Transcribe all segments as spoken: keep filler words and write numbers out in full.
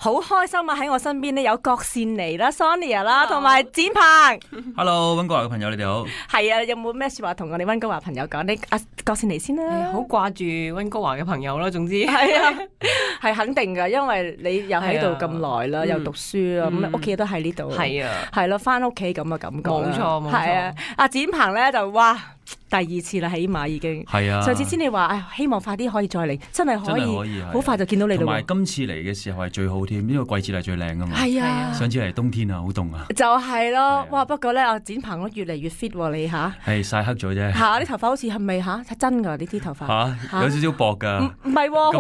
好開心啊！喺我身邊咧有郭善妮啦、Sonia 啦，同埋展鵬。Hello， 溫哥華嘅朋友你哋好。係啊，有冇咩說話同我哋溫哥華朋友講？你阿郭善妮先啦。好掛住溫哥華嘅朋友啦，總之係啊，係肯定噶，因為你又喺度咁耐啦，又讀書啦，咁屋企都喺呢度。係啊，係咯，翻屋企咁嘅感覺。冇錯冇錯。係啊，阿展鵬咧就哇。第二次啦，起碼已經係啊！上次先你話，唉，希望快啲可以再嚟，真係可以，好快就見到你啦。同埋今次嚟嘅時候係最好添，呢個季節係最靚噶嘛。係啊！上次嚟冬天啊，好凍啊。就係咯，哇！不過咧，阿展鵬越嚟越 fit 喎，你吓係曬黑咗啫。嚇！啲頭髮好似係咪吓真㗎？呢啲頭髮嚇有少少薄㗎。唔唔係喎，好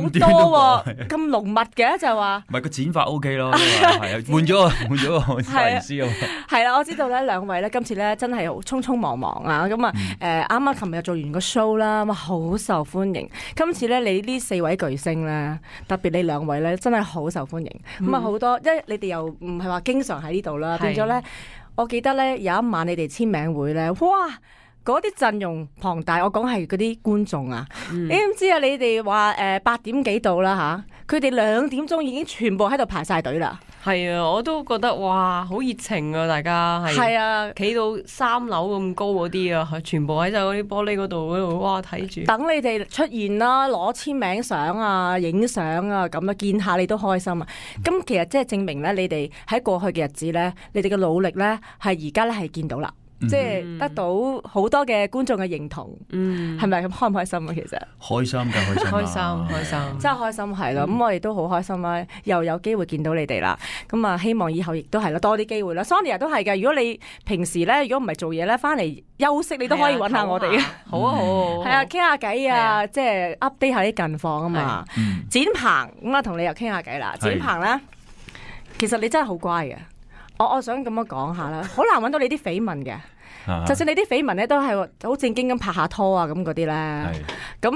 多喎，咁濃密嘅就話。唔係個剪髮 OK 咯，係啊，換咗個換咗個髮型師啊。係啦，我知道咧，兩位咧今次咧真係好匆匆忙忙啊，咁啊誒啱啱琴日做完個 show 啦，哇好受歡迎。今次咧你呢四位巨星咧，特別你兩位咧真係好受歡迎。咁啊好多，因為你哋又唔係話經常喺呢度啦，變咗咧，我記得咧有一晚你哋簽名會咧，哇！嗰啲陣容龐大，我講係嗰啲觀眾啊，嗯、你唔知啊？你哋話誒八點幾到啦吓，佢哋兩點鐘已經全部喺度排晒隊啦。係啊，我都覺得哇，好熱情啊！大家係係啊，企到三樓咁高嗰啲啊，全部喺晒嗰啲玻璃嗰度嗰度，哇睇住。等你哋出現啦，攞簽名相啊，影相啊，咁啊見下你都開心啊！咁、嗯、其實即係證明咧，你哋喺過去嘅日子咧，你哋嘅努力咧，係而家咧係見到啦。即係得到好多嘅觀眾嘅認同，嗯，係咪咁開唔開心啊？其實開心㗎，開心，開心，開心，真係開心係咯。咁、嗯、我哋都好開心啦，又有機會見到你哋啦。咁啊，希望以後亦都係啦，多啲機會啦。Sonia 都係嘅。如果你平時咧，如果唔係做嘢咧，翻嚟休息，你都可以揾下我哋。好啊，好啊，係啊，傾下偈啊，即係 update 下啲近況啊嘛。展鵬咁啊，同你又傾下偈啦。展鵬咧，其實你真係好乖嘅。我我想咁樣講下啦，好難揾到你啲緋聞嘅，就算你啲緋聞咧都係好正經咁拍下拖啊咁嗰啲咧，咁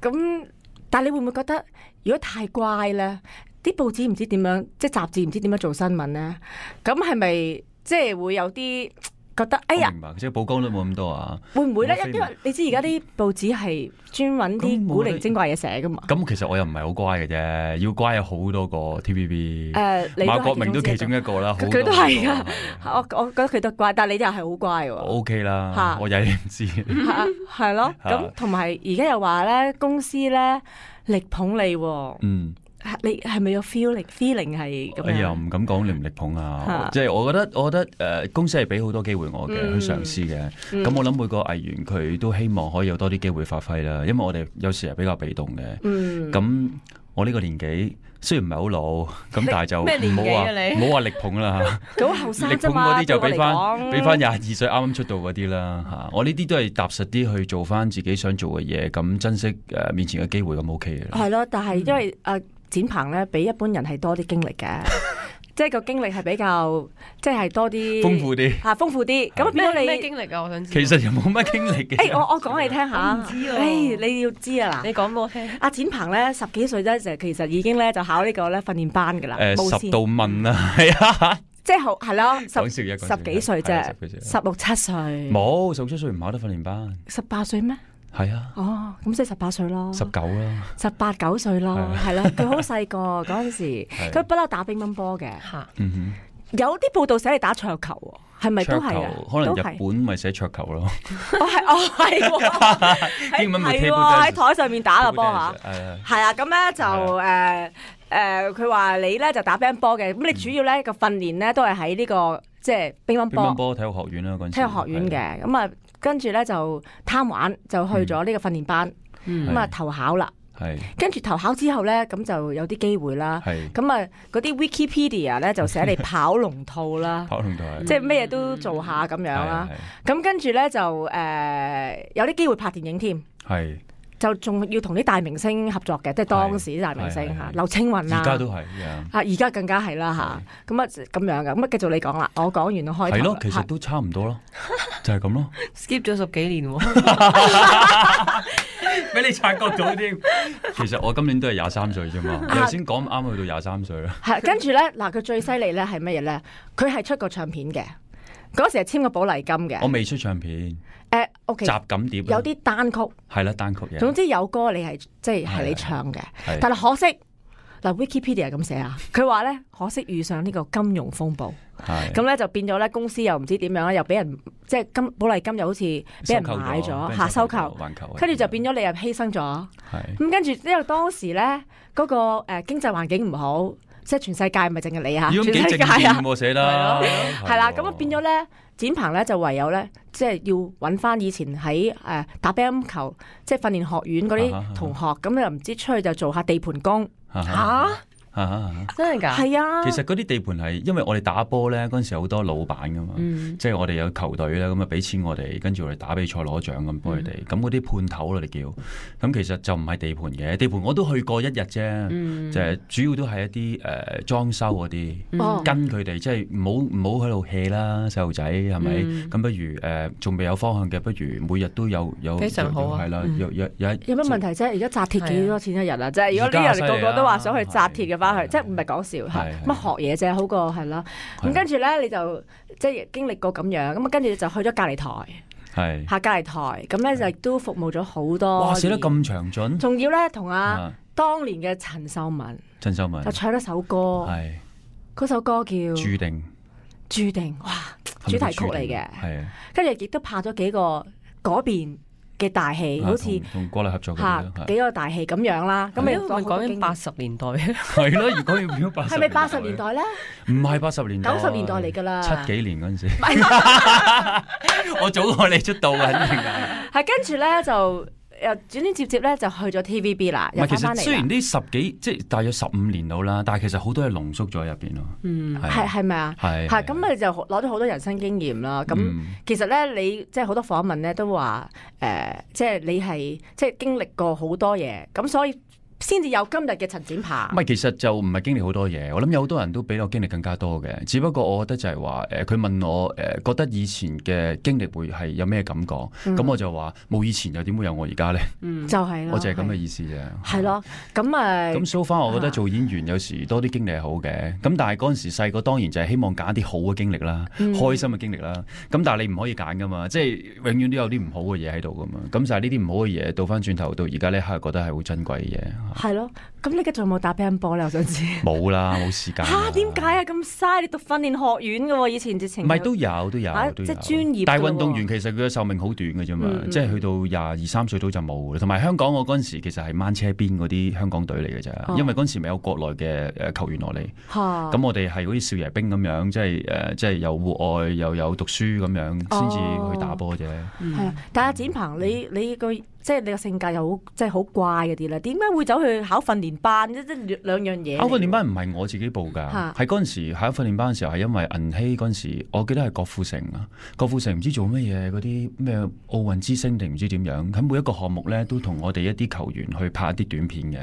咁，但係你會唔會覺得如果太乖咧，啲報紙唔知點樣，即係雜誌唔知點樣做新聞咧，咁係咪即係會有啲？覺得哎呀，明白，即係曝光率冇咁多啊。會唔會咧？因為你知而家啲報紙係專揾啲古靈精怪嘢寫噶嘛。咁其實我又唔係好乖嘅啫，要乖有好多個 T V B。誒，馬國明都其中一個啦。佢都係噶，我我覺得佢都乖，但係你又係好乖喎。O K 啦，我曳你唔知。係咯，咁同埋而家又話咧，公司咧力捧你。嗯。你係咪有 feeling feeling 係咁樣？哎呀，唔敢講力唔力捧啊！即係我覺得，我覺得誒、呃、公司係俾好多機會我嘅、嗯、去嘗試嘅。咁、嗯、我諗每個藝員佢都希望可以有多啲機會發揮啦。因為我哋有時係比較被動嘅。咁、嗯、我呢個年紀雖然唔係好老，咁但係就唔好話唔好話力捧啦嚇。好後生力捧嗰啲就俾翻俾翻廿二歲啱啱出道嗰啲啦嚇。我呢啲都係踏實啲去做翻自己想做嘅嘢，咁珍惜誒面前嘅機會咁 OK 嘅。係咯，但係因為誒。嗯展鵬咧比一般人係多啲經歷嘅，即係個經歷係比較即係多啲豐富啲嚇，豐富啲。咁變咗你咩經歷啊？我想知。其實又冇乜經歷嘅。誒，我我講你聽下。唔知啊。誒，你要知啊嗱。你講俾我聽。阿展鵬咧十幾歲咧就其實已經咧就考呢個咧訓練班㗎啦。誒，十度問啊，係啊。即係好係咯，十十幾歲啫，十六七歲。冇，十六七歲唔考得訓練班。十八歲咩？係啊，哦，咁即係十八歲咯，十九啦，十八九歲咯，係啦，佢好細個嗰陣時，佢不嬲打乒乓波嘅，有啲報道寫你打桌球，係咪都係啊？可能日本咪寫桌球咯，哦係，哦係，英文咪喺台上面打個波吓，係啊，咁咧就誒誒，佢話你咧就打乒乓波嘅，咁你主要咧個訓練咧都係喺呢個即係乒乓波，乒乓波體育學院啦，嗰陣時體育學院嘅，咁啊。跟住咧就貪玩，就去咗呢個訓練班，咁啊、嗯、投考啦。跟住投考之後咧，咁就有啲機會啦。咁啊嗰啲 Wikipedia 咧就寫你跑龍套啦，跑龍套即係咩嘢都做下咁樣啦。咁跟住咧就誒、呃、有啲機會拍電影添。係。就仲要同啲大明星合作嘅，即係當時啲大明星嚇，劉青雲啊，而家都係啊，而家更加係啦嚇。咁啊咁樣嘅，咁啊繼續你講啦，我講完我開頭。係咯，其實都差唔多咯，就係咁咯。skip 咗十幾年喎，俾你察覺到添。其實我今年都係廿三歲啫嘛，你頭先講啱去到廿三歲啦。係跟住咧，嗱佢最犀利咧係乜嘢咧？佢係出過唱片嘅，嗰時係簽過寶麗金嘅。我未出唱片。誒 OK，集錦碟有啲單曲，係啦單曲嘅。總之有歌你係即係係你唱嘅，但係可惜嗱 Wikipedia 咁寫啊，佢話咧可惜遇上呢個金融風暴，咁咧就變咗咧公司又唔知點樣，又俾人即係金寶麗金又好似俾人買咗下收購，跟住就變咗你又犧牲咗。咁跟住因為當時咧嗰、那個誒、呃、經濟環境唔好，即係全世界唔係淨係你嚇，全世界啊寫啦，係啦，咁啊變咗咧。展鵬咧就唯有咧，即係要揾翻以前喺誒、呃、打乒乓球，即係訓練學院嗰啲同學，咁又唔知出去就做下地盤工嚇。真係㗎？係啊！其實嗰啲地盤係因為我哋打波咧，嗰陣時好多老闆噶嘛，嗯、即係我哋有球隊咧，咁啊俾錢我哋，跟住我哋打比賽攞獎咁幫佢哋。咁嗰啲判頭啦，你叫咁其實就唔係地盤嘅，地盤我都去過一日啫，嗯、就係主要都係一啲誒裝修嗰啲，嗯、跟佢哋即係唔好唔好喺度 hea 啦，細路仔係咪？咁、嗯、不如誒仲未有方向嘅，不如每日都有有非常好啊！係啦，有有有有乜問題啫？而家紮鐵幾多錢一日啊？即係如果呢人個個都話想去紮鐵嘅。去，即係唔係講笑，乜學嘢啫，好過係啦。咁跟住咧，你就即係經歷過咁樣，咁啊跟住就去咗隔離台，係下隔離台，咁咧就都服務咗好多。哇，寫得咁詳盡，仲要咧同阿當年嘅陳秀雯，陳秀雯就唱咗首歌，係嗰首歌叫注定，注定，哇，主題曲嚟嘅，係啊，跟住亦都拍咗幾個嗰邊嘅大戲，好似同國內合作嚇幾個大戲咁樣啦。咁你講緊八十年代係咯，如果要變咗八十，係咪八十年代咧？唔係八十年代，九十年代嚟㗎啦。七幾年嗰陣時，我早過你出道嘅，肯定係。係跟住咧就又轉轉接接咧就去咗 T V B 啦。唔係，其實雖然呢十幾即係大約十五年到啦，但係其實好多嘢濃縮咗喺入邊咯。嗯，係係咪啊？係係咁你就攞咗好多人生經驗啦。咁、嗯、其實咧，你即係好多訪問咧都話誒、呃，即係你係即係經歷過好多嘢，咁所以先至有今日嘅陳展鵬。唔係，其實就唔係經歷好多嘢。我諗有好多人都比我經歷更加多嘅。只不過我覺得就係話誒，佢、呃、問我誒、呃，覺得以前嘅經歷會係有咩感覺？咁、嗯、我就話冇以前又點會有我而家咧？嗯，就係、是、我就係咁嘅意思啫。係咯，咁啊。咁 so far 我覺得做演員有時多啲經歷係好嘅。咁但係嗰陣時細個當然就係希望揀啲好嘅經歷啦，嗯、開心嘅經歷啦。咁但係你唔可以揀噶嘛，即係永遠都有啲唔好嘅嘢喺度噶嘛。咁就係呢啲唔好嘅嘢，倒翻轉頭到而家呢刻覺得係好珍貴嘅嘢。係咯。咁你而家仲有冇打乒乓波咧？我想知。冇啦，冇時間。嚇點解啊？咁嘥！你讀訓練學院嘅喎，以前直情。唔係都有都有，即係專業。但係運動員其實佢嘅壽命好短嘅啫嘛，即係去到廿二三歲到就冇啦。同埋香港我嗰陣時其實係掹車邊嗰啲香港隊嚟嘅啫，因為嗰陣時未有國內嘅誒球員落嚟。咁我哋係嗰啲少爺兵咁樣，即係誒，即係有戶外又有讀書咁樣，先至去打波啫。係啊，但係阿展鵬，你你個即係你個性格又好，即係好怪嗰啲咧，點解會走去考訓練班？即係兩樣嘢。考訓練班唔係我自己報㗎，係嗰陣時考訓練班嘅時候係因為銀禧嗰陣時，我記得係郭富城啊，郭富城唔知做乜嘢嗰啲咩奧運之星定唔知點樣，喺每一個項目咧都同我哋一啲球員去拍一啲短片嘅。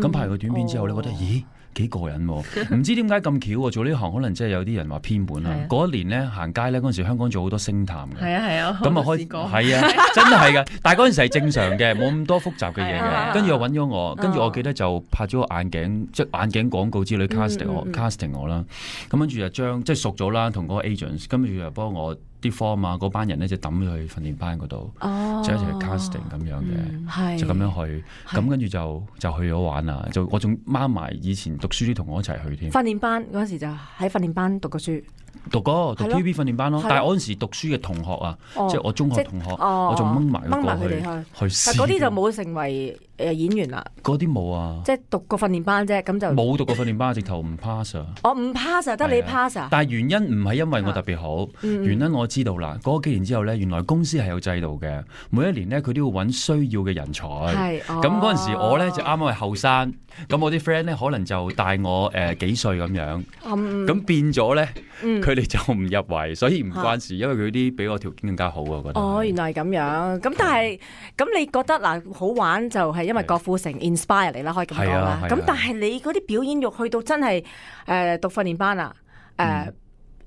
咁、嗯、拍完個短片之後咧，哦、覺得咦幾過癮喎！唔知點解咁巧喎，做呢行可能真係有啲人話偏門啦。嗰、啊、一年咧行街咧，嗰陣時香港做好多星探嘅。係啊係啊，咁啊開係啊，真係㗎。但係嗰陣時係正常嘅，冇咁多複雜嘅嘢嘅。跟住又揾咗我，跟住我記得就拍咗個眼鏡，即係眼鏡廣告之類 casting 我 casting 我啦。咁跟住就將即係熟咗啦，同嗰個 agents，跟住又幫我啲 form 啊，嗰班人咧就抌咗去訓練班嗰度，哦、就一齊去 casting 咁樣嘅，嗯、就咁樣去。咁跟住就就去咗玩啦。就我仲掹埋以前讀書啲同學一齊去添。訓練班嗰陣時就喺訓練班讀過書。讀過讀 T V B 訓練班咯，但係我嗰陣時讀書嘅同學啊，即係我中學同學，我仲掹埋掹埋佢哋去去試。但嗰啲就冇成為誒演員啦。嗰啲冇啊，即係讀過訓練班啫，咁就冇讀過訓練班，直頭唔 pass 啊。我唔 pass 啊，得你 pass 啊。但係原因唔係因為我特別好，原因我知道啦。嗰幾年之後咧，原來公司係有制度嘅，每一年咧佢都要揾需要嘅人才。係咁嗰陣時我咧就啱啱係後生，咁我啲 friend 咧可能就大我誒幾歲咁樣，咁變咗咧。佢哋、嗯、就唔入圍，所以唔關事，啊、因為佢啲比我條件更加好啊！我覺得哦，原來係咁樣。咁但係咁，你覺得嗱好玩就係因為郭富城 inspire 你啦，可以咁講啦。咁、啊啊、但係你嗰啲表演欲去到真係誒、呃、讀訓練班啊，誒、呃嗯、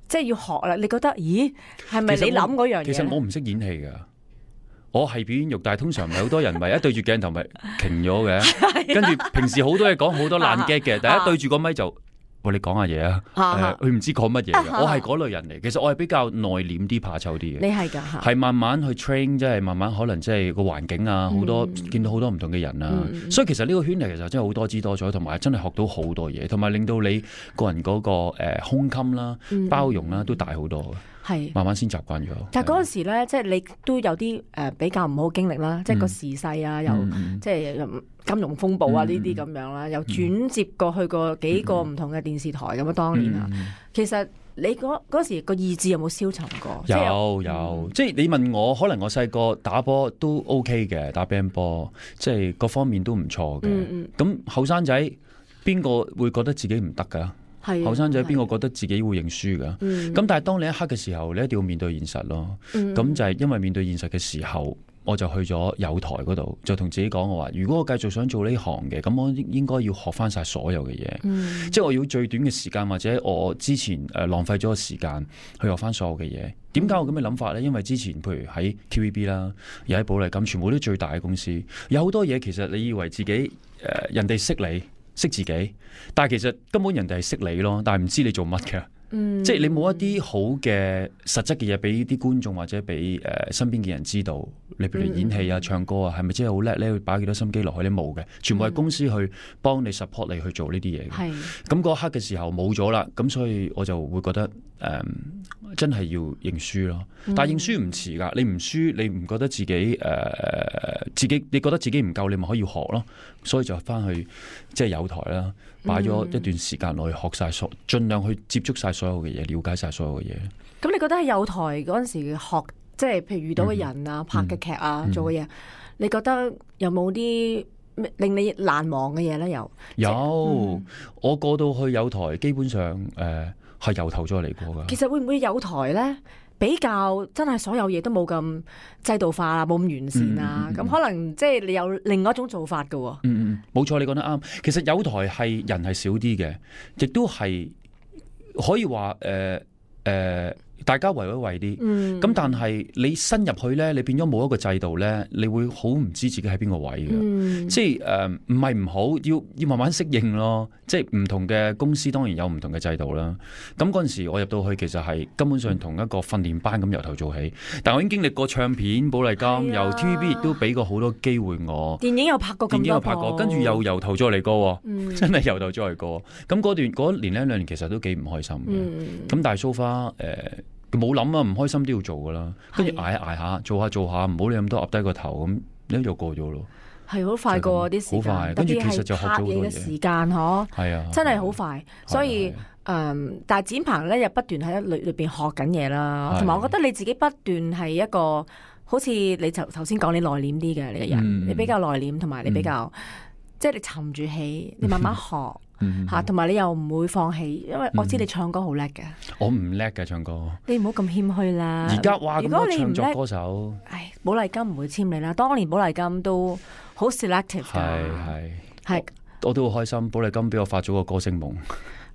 即係要學啦。你覺得咦係咪你諗嗰樣嘢？其實我唔識演戲㗎，我係表演欲，但係通常唔係好多人咪一對住鏡頭咪停咗嘅，跟住平時好多嘢講好多爛 gag 嘅，但係一對住個咪就。永喂，你講下嘢啊，佢唔知講乜嘢嘅。我係嗰類人嚟，其實我係比較內斂啲、怕醜啲嘅。你係㗎，係慢慢去 train， 即係慢慢可能即係個環境啊，好多見到好多唔同嘅人啊，所以其實呢個圈嚟其實真係好多姿多彩，同埋真係學到好多嘢，同埋令到你個人嗰個誒胸襟啦、包容啦都大好多嘅。係慢慢先習慣咗。但係嗰陣時咧，即係你都有啲誒比較唔好經歷啦，即係個時勢啊，又即係金融風暴啊呢啲咁樣啦，又轉接過去過幾個唔同嘅電視台咁啊，當年啊，其實你嗰嗰時個意志有冇消沉過？有有，即係你問我，可能我細個打波都 OK 嘅，打乒乓波，即係各方面都唔錯嘅。咁後生仔邊個會覺得自己唔得㗎？後生仔邊個覺得自己會認輸㗎？咁、嗯、但係當你一刻嘅時候，你一定要面對現實咯。咁、嗯、就係因為面對現實嘅時候，我就去咗友台嗰度，就同自己講我話：如果我繼續想做呢行嘅，咁我應該要學翻晒所有嘅嘢。嗯、即係我要最短嘅時間，或者我之前誒浪費咗嘅時間去學翻所有嘅嘢。點解我咁嘅諗法呢？因為之前譬如喺 T V B 啦，又喺寶麗金，全部都最大嘅公司，有好多嘢其實你以為自己誒、呃、人哋識你。識自己，但係其實根本人哋係識你咯，但係唔知你做乜嘅，嗯、即係你冇一啲好嘅實質嘅嘢俾啲觀眾或者俾誒、呃、身邊嘅人知道，你譬如演戲啊、唱歌啊，係咪真係好叻咧？擺幾多心機落去？你冇嘅，全部係公司去幫你 support 你去做呢啲嘢嘅。咁嗰刻嘅時候冇咗啦，咁所以我就會覺得誒、呃、真係要認輸咯。但係認輸唔遲㗎，你唔輸，你唔覺得自己誒、呃、自己你覺得自己唔夠，你咪可以學咯。所以就翻去即係友台啦，擺咗一段時間落去學晒所，盡量去接觸晒所有嘅嘢，了解晒所有嘅嘢。咁你覺得喺友台嗰陣時學，即係譬如遇到嘅人啊、嗯、拍嘅劇啊、嗯、做嘅嘢，你覺得有冇啲令你難忘嘅嘢咧？有有，嗯、我過到去友台，基本上誒係由頭再嚟過噶。其實會唔會友台咧？比較真係所有嘢都冇咁制度化啦，冇咁完善啦，咁、嗯嗯、可能即係你有另外一種做法㗎喎。嗯嗯，冇錯，你講得啱。其實友台係人係少啲嘅，亦都係可以話誒誒。呃呃大家圍一圍啲，咁、嗯、但係你新入去咧，你變咗冇一個制度咧，你會好唔知自己喺邊個位嘅，嗯、即係誒唔係唔好，要要慢慢適應咯。即係唔同嘅公司當然有唔同嘅制度啦。咁嗰陣時我入到去其實係根本上同一個訓練班咁由頭做起，但我已經經歷過唱片、寶麗金，由 T V B 亦都俾過好多機會我。電影又拍過咁多，電影又拍過，跟住又由頭再嚟過，嗯、真係由頭再嚟過。咁嗰段嗰年零兩年其實都幾唔開心嘅。咁、嗯、但係 so far 誒。冇諗啊，唔開心都要做噶啦，跟住捱下捱下，做下做下，唔好理咁多，噏低個頭咁，你就過咗咯。係好快過啲時間，好快，跟住其實就學咗好多嘢。嘅時間嗬，係啊，真係好快。所以誒、嗯，但係展鵬咧又不斷喺裏裏邊學緊嘢啦，同埋我覺得你自己不斷係一個，好似你頭頭先講你內斂啲嘅你個人，嗯、你比較內斂，同埋你比較、嗯、即係你沉住氣，你慢慢學。吓，同埋你又唔會放棄，因為我知你唱歌好叻嘅。我唔叻嘅唱歌，你唔好咁謙虛啦。而家話咁多唱作歌手，唉，寶麗金唔會簽你啦。當年寶麗金都好 selective 噶，係係係，我都好開心。寶麗金俾我發咗個歌星夢。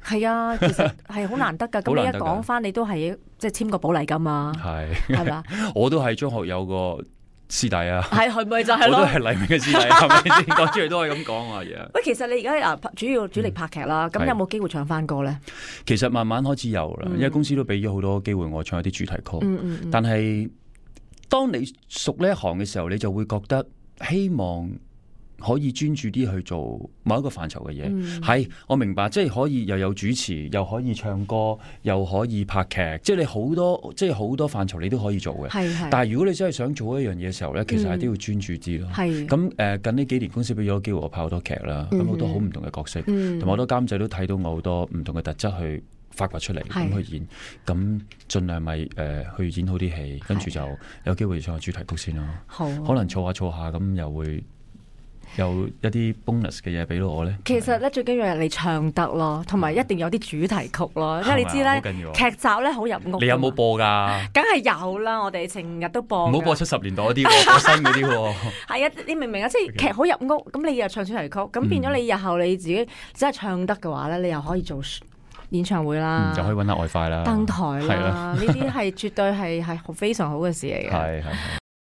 係啊，其實係好難得噶。咁你一講翻，你都係即係簽過寶麗金啊？係係嘛？我都係張學友個師弟啊，係係咪就係咯？我都係黎明嘅師弟，係咪先？講出嚟都係咁講啊嘢。喂，其實你而家啊主要主力拍劇啦，咁、嗯、有冇機會唱翻歌咧？其實慢慢開始有啦，嗯、因為公司都俾咗好多機會我唱一啲主題曲。嗯嗯嗯、但係當你熟呢一行嘅時候，你就會覺得希望可以專注啲去做某一個範疇嘅嘢，係、嗯、我明白，即係可以又有主持，又可以唱歌，又可以拍劇，即係你好多，即係好多範疇你都可以做嘅。係係。但係如果你真係想做一樣嘢嘅時候咧，其實係都要專注啲咯。係。咁誒，近呢幾年公司俾咗機會我拍好多劇啦，咁好、嗯、多好唔同嘅角色，同埋好多監製都睇到我好多唔同嘅特質去發掘出嚟，咁去演，咁盡量咪誒、呃、去演好啲戲，跟住就有機會唱個主題曲先咯。好。可能儲下儲下咁又會。有一啲 bonus 嘅嘢俾到我咧，其實咧最緊要係你唱得咯，同埋一定有啲主題曲咯，因為你知咧劇集咧好入屋。你有冇播㗎？梗係有啦，我哋成日都播。唔好播七十年代嗰啲，播新嗰啲喎。係啊，你明唔明啊？即係劇好入屋，咁你又唱主題曲，咁變咗你日後你自己真係唱得嘅話咧，你又可以做演唱會啦，就可以揾下外快啦，登台啦，呢啲係絕對係係非常好嘅事嚟嘅。係係。